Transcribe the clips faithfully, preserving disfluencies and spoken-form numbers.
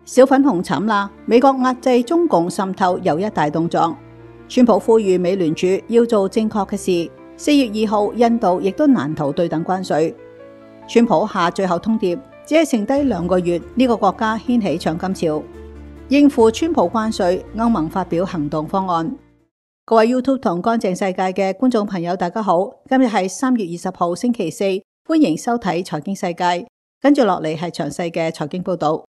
小粉紅慘啦！美國壓制中共滲透又一大動作，川普呼籲美聯儲要做正確嘅事。四月二號，印度亦都難逃對等關稅。川普下最後通牒，只係剩低兩個月，呢個國家掀起搶金潮。應付川普關稅，歐盟發表行動方案。各位 YouTube 同乾淨世界嘅觀眾朋友，大家好，今日係三月二十號星期四，歡迎收睇財經世界。跟住落嚟係詳細嘅財經報道。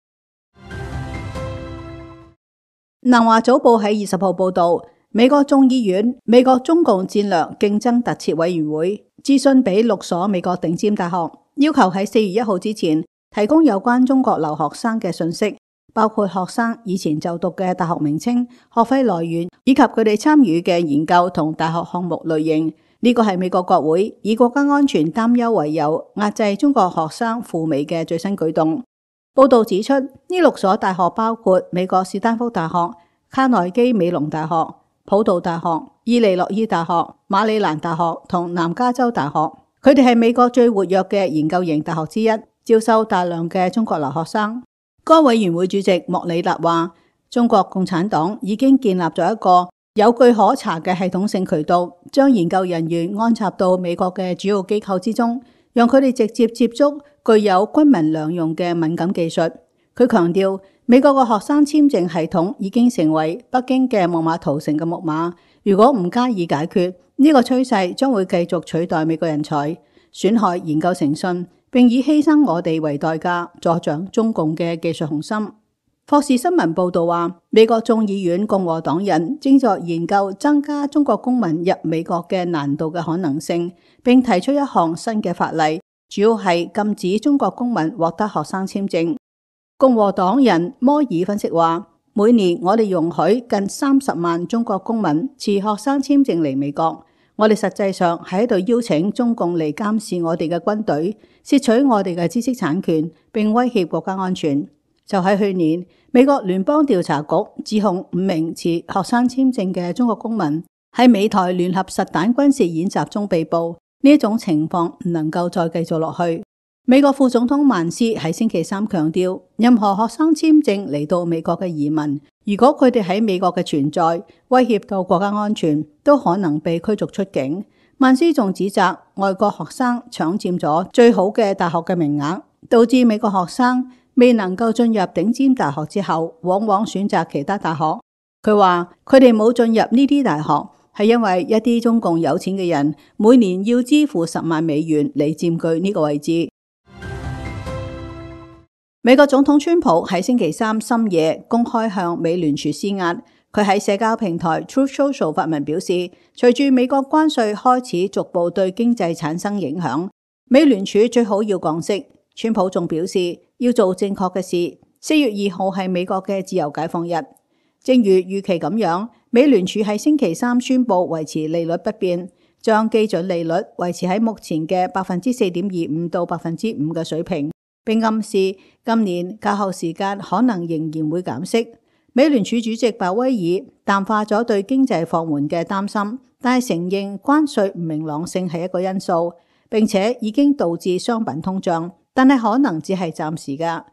南華早報喺二十號報道，美國眾議院美國中共戰略競爭特設委員會諮詢俾六所美國頂尖大學，要求喺四月一號之前提供有關中國留學生嘅信息，包括學生以前就讀嘅大學名稱、學費來源以及佢哋參與嘅研究同大學項目類型。呢個係美國國會以國家安全擔憂為由壓制中國學生赴美嘅最新舉動。報道指出，呢六所大學包括美國史丹福大學、卡內基美隆大學、普渡大學、伊利諾伊大學、馬里蘭大學同南加州大學。佢哋係美國最活躍嘅研究型大學之一，招收大量嘅中國留學生。該委員會主席莫里納話，中國共產黨已經建立咗一個有據可查嘅系統性渠道，將研究人員安插到美國嘅主要機構之中，讓佢哋直接接觸具有軍民兩用嘅敏感技術。佢強調，美國嘅學生簽證系統已經成為北京嘅木馬屠城嘅木馬，如果唔加以解決，呢個趨勢將會繼續取代美國人才，損害研究誠信，並以犧牲我哋為代價，助長中共嘅技術雄心。霍士新聞報道話，美國眾議院共和黨人正在研究增加中國公民入美國嘅難度嘅可能性，並提出一項新嘅法例，主要係禁止中國公民獲得學生簽證。共和黨人摩爾分析話，每年我哋容許近三十萬中國公民持學生簽證嚟美國，我哋實際上喺度邀請中共嚟監視我哋嘅軍隊，竊取我哋嘅知識產權，並威脅國家安全。就喺去年，美國聯邦調查局指控五名持學生簽證嘅中國公民喺美台聯合實彈軍事演習中被捕，呢一種情況唔能夠再繼續落去。美國副總統萬斯喺星期三強調，任何學生簽證嚟到美國嘅移民，如果佢哋喺美國嘅存在威脅到國家安全，都可能被驅逐出境。萬斯仲指責外國學生搶佔咗最好嘅大學嘅名額，導致美國學生未能夠進入頂尖大學之後，往往選擇其他大學。佢話佢哋冇進入呢啲大學，係因為一啲中共有錢嘅人每年要支付十萬美元嚟佔據呢個位置。美國總統川普喺星期三深夜公開向美聯儲施壓。佢喺社交平台 Truth Social 發文表示，隨住美國關稅開始逐步對經濟產生影響，美聯儲最好要降息。川普仲表示要做正確嘅事。四月二號係美國嘅自由解放日，正如預期咁樣，美聯儲喺星期三宣布維持利率不變，將基準利率維持喺目前嘅百分之四點二五到百分之五嘅水平，並暗示今年較後時間可能仍然會減息。美聯儲主席鮑威爾淡化咗對經濟放緩嘅擔心，但係承認關稅唔明朗性係一個因素，並且已經導致商品通脹，但係可能只係暫時㗎。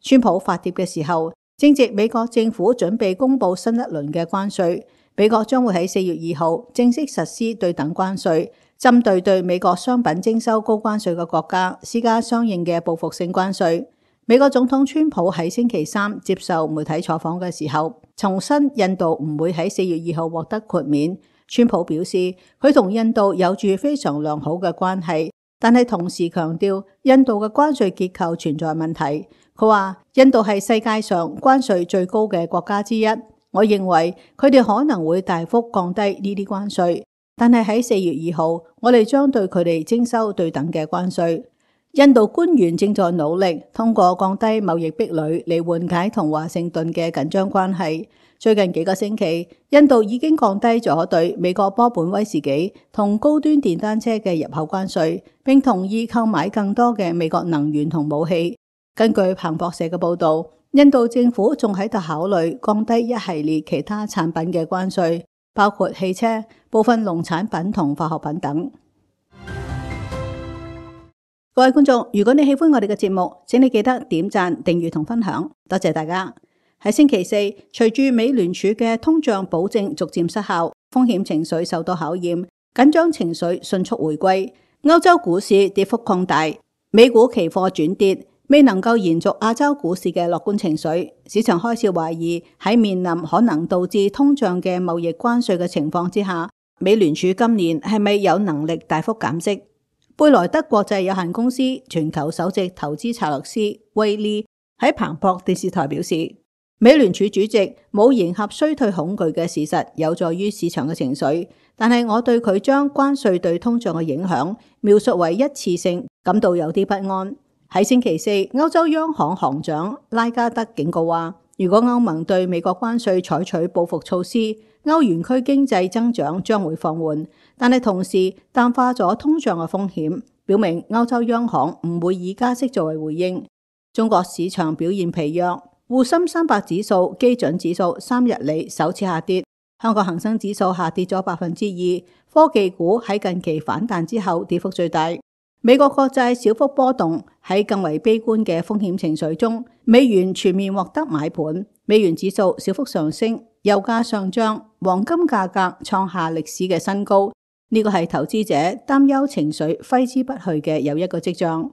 川普發帖嘅時候，正值美國政府準備公布新一輪嘅關稅，美國將會喺四月二號正式實施對等關稅，針對對美國商品徵收高關稅嘅國家施加相應嘅報復性關稅。美國總統川普喺星期三接受媒體採訪嘅時候，重申印度唔會喺四月二號獲得豁免。川普表示，佢同印度有住非常良好嘅關係，但係同時強調印度嘅關稅結構存在問題。佢話印度係世界上關稅最高嘅國家之一，我認為佢哋可能會大幅降低呢啲關稅，但係喺四月二號，我哋將對佢哋徵收對等嘅關稅。印度官員正在努力通過降低貿易壁壘嚟緩解同華盛頓嘅緊張關係。最近幾個星期，印度已經降低咗對美國波本威士忌同高端電單車嘅入口關稅，並同意購買更多嘅美國能源同武器。根據彭博社嘅報導，印度政府仲喺度考慮降低一系列其他產品嘅關稅，包括汽車、部分農產品同化學品等。各位觀眾，如果你喜歡我哋嘅節目，請你記得點讚、訂閱同分享，多謝大家。喺星期四，隨住美聯儲嘅通脹保證逐漸失效，風險情緒受到考驗，緊張情緒迅速回歸，歐洲股市跌幅擴大，美股期貨轉跌，未能夠延續亞洲股市嘅樂觀情緒。市場開始懷疑喺面臨可能導致通脹嘅貿易關稅嘅情況之下，美聯儲今年係咪有能力大幅減息？貝萊德國際有限公司全球首席投資策略師威利喺彭博電視台表示，美聯儲主席冇迎合衰退恐懼嘅事實有助於市場嘅情緒，但係我對佢將關稅對通脹嘅影響描述為一次性感到有啲不安。喺星期四，歐洲央行行長拉加德警告話，如果歐盟對美國關稅採取報復措施，歐元區經濟增長將會放緩，但係同時淡化咗通脹嘅風險，表明歐洲央行唔會以加息作為回應。中國市場表現疲弱，滬深三百指數基準指數三日嚟首次下跌，香港恒生指數下跌咗百分之二，科技股喺近期反彈之後跌幅最大。美國國債小幅波動，喺更為悲觀嘅風險情緒中，美元全面獲得買盤，美元指數小幅上升，油價上漲，黃金價格創下歷史嘅新高，呢個係投資者擔憂情緒揮之不去嘅又一個跡象。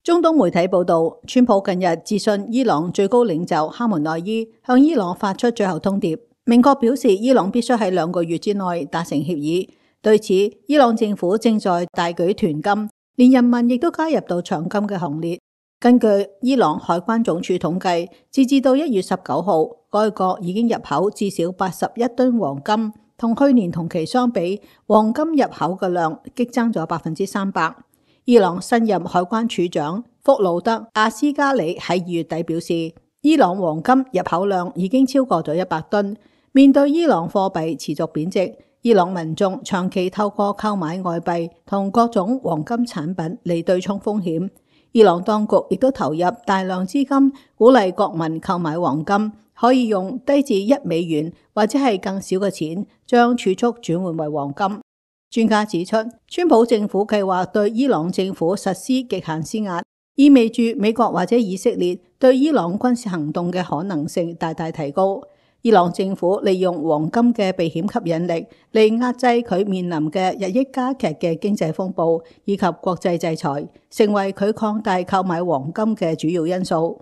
中東媒體報道，川普近日致信伊朗最高領袖哈梅內伊，向伊朗發出最後通牒，明確表示伊朗必須喺兩個月之內達成協議。對此，伊朗政府正在大舉囤金，連人民亦都加入到搶金嘅行列。根據伊朗海關總署統計，截至到一月十九號，該國已經入口至少八十一噸黃金，同去年同期相比，黃金入口嘅量激增咗百分之三百。伊朗新任海關署長福魯德阿斯加里喺二月底表示，伊朗黃金入口量已經超過咗一百噸。面對伊朗貨幣持續貶值，伊朗民眾長期透過購買外幣同各種黃金產品嚟對沖風險。伊朗當局亦都投入大量資金，鼓勵國民購買黃金，可以用低至一美元或者係更少嘅錢，將儲蓄轉換為黃金。專家指出，川普政府計劃對伊朗政府實施極限施壓，意味住美國或者以色列對伊朗軍事行動嘅可能性大大提高。伊朗政府利用黃金嘅避險吸引力嚟壓制佢面臨嘅日益加劇嘅經濟風暴以及國際制裁，成為佢擴大購買黃金嘅主要因素。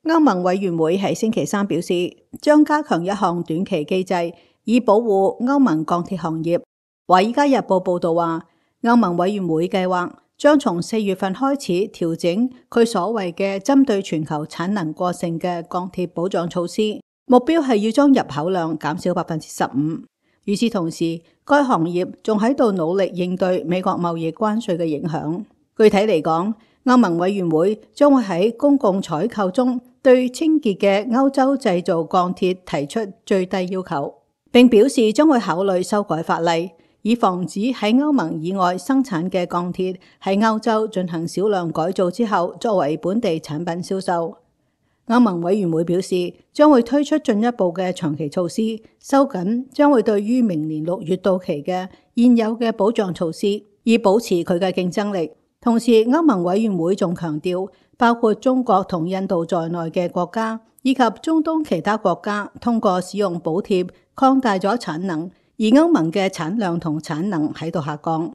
歐盟委員會喺星期三表示，將加強一項短期機制，以保護歐盟鋼鐵行業。華爾街日報報道話，歐盟委員會計劃將從四月份開始調整佢所謂嘅針對全球產能過剩嘅鋼鐵保障措施，目標係要將入口量減少百分之十五。與此同時，該行業仲喺度努力應對美國貿易關稅嘅影響。具體嚟講，歐盟委員會將會喺公共採購中對清潔嘅歐洲製造鋼鐵提出最低要求，並表示將會考慮修改法例，以防止喺歐盟以外生產嘅鋼鐵喺歐洲進行少量改造之後作為本地產品銷售。歐盟委員會表示，將會推出進一步嘅長期措施，收緊將會對於明年六月到期嘅現有嘅保障措施，以保持佢嘅競爭力。同時，歐盟委員會仲強調，包括中國同印度在內嘅國家，以及中東其他國家，通過使用補貼擴大咗產能，而歐盟嘅產量同產能喺度下降。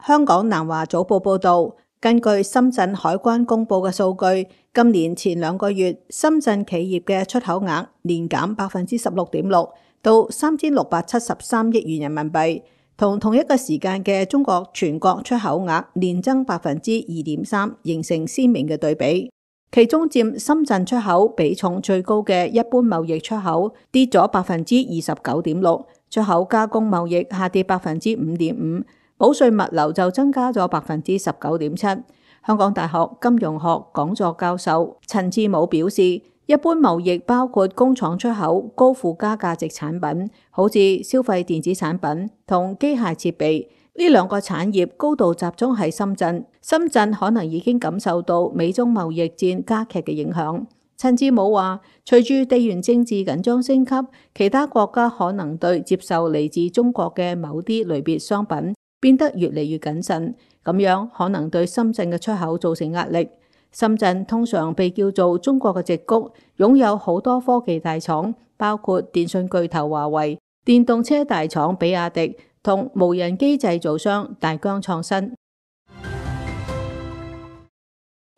香港南華早報報道，根據深圳海關公佈嘅數據，今年前兩個月深圳企業嘅出口額年減百分之十六點六，到三千六百七十三億元人民幣。同同一個時間嘅中國全國出口額年增百分之二點三，形成鮮明嘅對比。其中佔深圳出口比重最高嘅一般貿易出口跌咗百分之二十九點六，出口加工貿易下跌百分之五點五，保稅物流就增加咗百分之十九點七。香港大學金融學講座教授陳志武表示，一般貿易包括工廠出口高附加價值產品，好似消費電子產品同機械設備，呢兩個產業高度集中喺深圳。深圳可能已經感受到美中貿易戰加劇嘅影響。陳志武話，隨住地緣政治緊張升級，其他國家可能對接受嚟自中國嘅某啲類別商品變得越嚟越謹慎，咁樣可能對深圳嘅出口造成壓力。深圳通常被叫做中國嘅矽谷，擁有好多科技大廠，包括電信巨頭華為、電動車大廠比亞迪同無人機製造商大疆創新。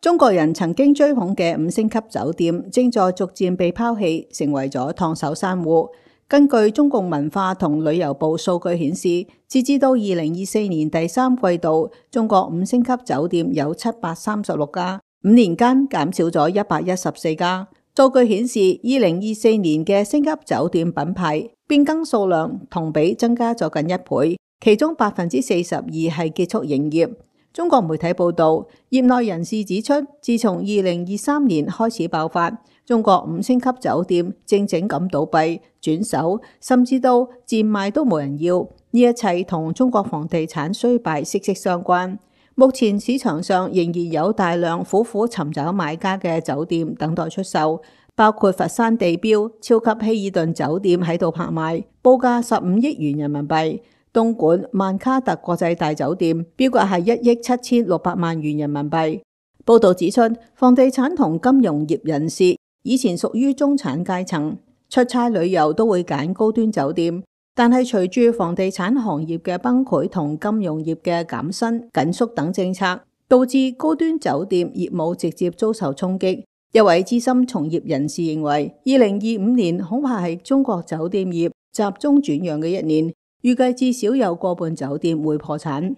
中國人曾經追捧嘅五星級酒店正在逐漸被拋棄，成為咗燙手山芋。根據中共文化同旅遊部數據顯示，截至到二零二四年第三季度，中國五星級酒店有七百三十六家，五年間減少咗一百一十四家。數據顯示，二零二四年嘅星級酒店品牌變更數量同比增加咗近一倍，其中百分之四十二係結束營業。中國媒體報道，業內人士指出，自從二零二三年開始爆發，中國五星級酒店正正咁倒閉、轉手，甚至到賤賣都冇人要。呢一切同中國房地產衰敗息息相關。目前市場上仍然有大量苦苦尋找買家嘅酒店等待出售，包括佛山地標超級希爾頓酒店喺度拍賣，報價十五億元人民幣。東莞萬卡特國際大酒店標價係一億七千六百萬元人民幣。報道指出，房地產同金融業人士以前屬於中產階層，出差旅遊都會揀高端酒店，但係隨住房地產行業嘅崩潰同金融業嘅減薪、緊縮等政策，導致高端酒店業務直接遭受衝擊。一位資深從業人士認為，二零二五年恐怕係中國酒店業集中轉讓嘅一年。預計至少有過半酒店會破產。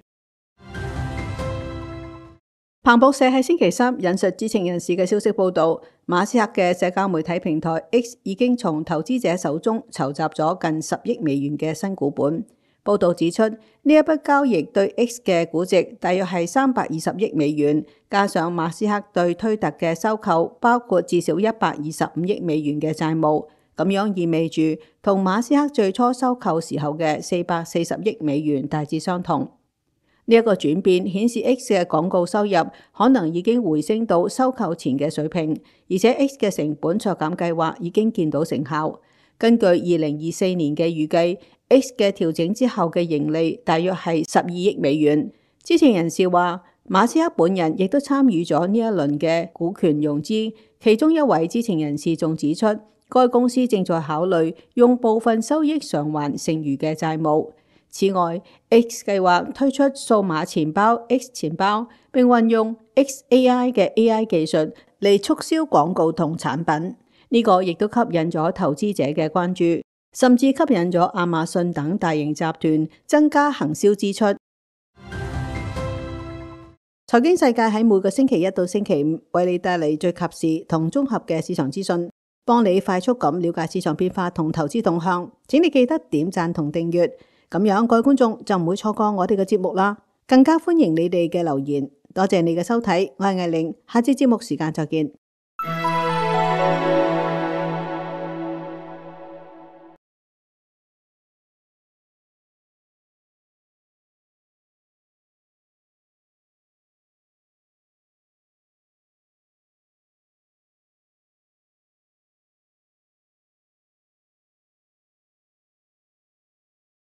彭博社喺星期三引述知情人士嘅消息報道，馬斯克嘅社交媒體平台 X 已經從投資者手中籌集咗近十億美元嘅新股本。報道指出，呢一筆交易對 X 嘅估值大約係三百二十億美元，加上馬斯克對推特嘅收購，包括至少一百二十五億美元嘅債務。咁樣意味住同馬斯克最初收購時候嘅四百四十億美元大致相同。呢一個轉變顯示 X 嘅廣告收入可能已經回升到收購前嘅水平，而且 X 嘅成本削減計劃已經見到成效。根據二零二四年嘅預計， X 嘅調整之後嘅盈利大約係十二億美元。知情人士話，馬斯克本人亦都參與咗呢一輪嘅股權融資，其中一位知情人士仲指出，該公司正在考慮用部分收益償還剩餘嘅債務。此外 ，X 計劃推出數碼錢包 X 錢包，並運用 X A I 嘅 A I 技術嚟促銷廣告同產品。呢、這個亦都吸引咗投資者嘅關注，甚至吸引咗亞馬遜等大型集團增加行銷支出。財經世界喺每個星期一到星期五為你帶嚟最及時同綜合嘅市場資訊，幫你快速咁了解市場變化同投資動向。請你記得點讚同訂閱，咁樣各位觀眾就唔會錯過我哋嘅節目啦。更加歡迎你哋嘅留言。多謝你嘅收睇，我係艾玲，下次節目時間再見。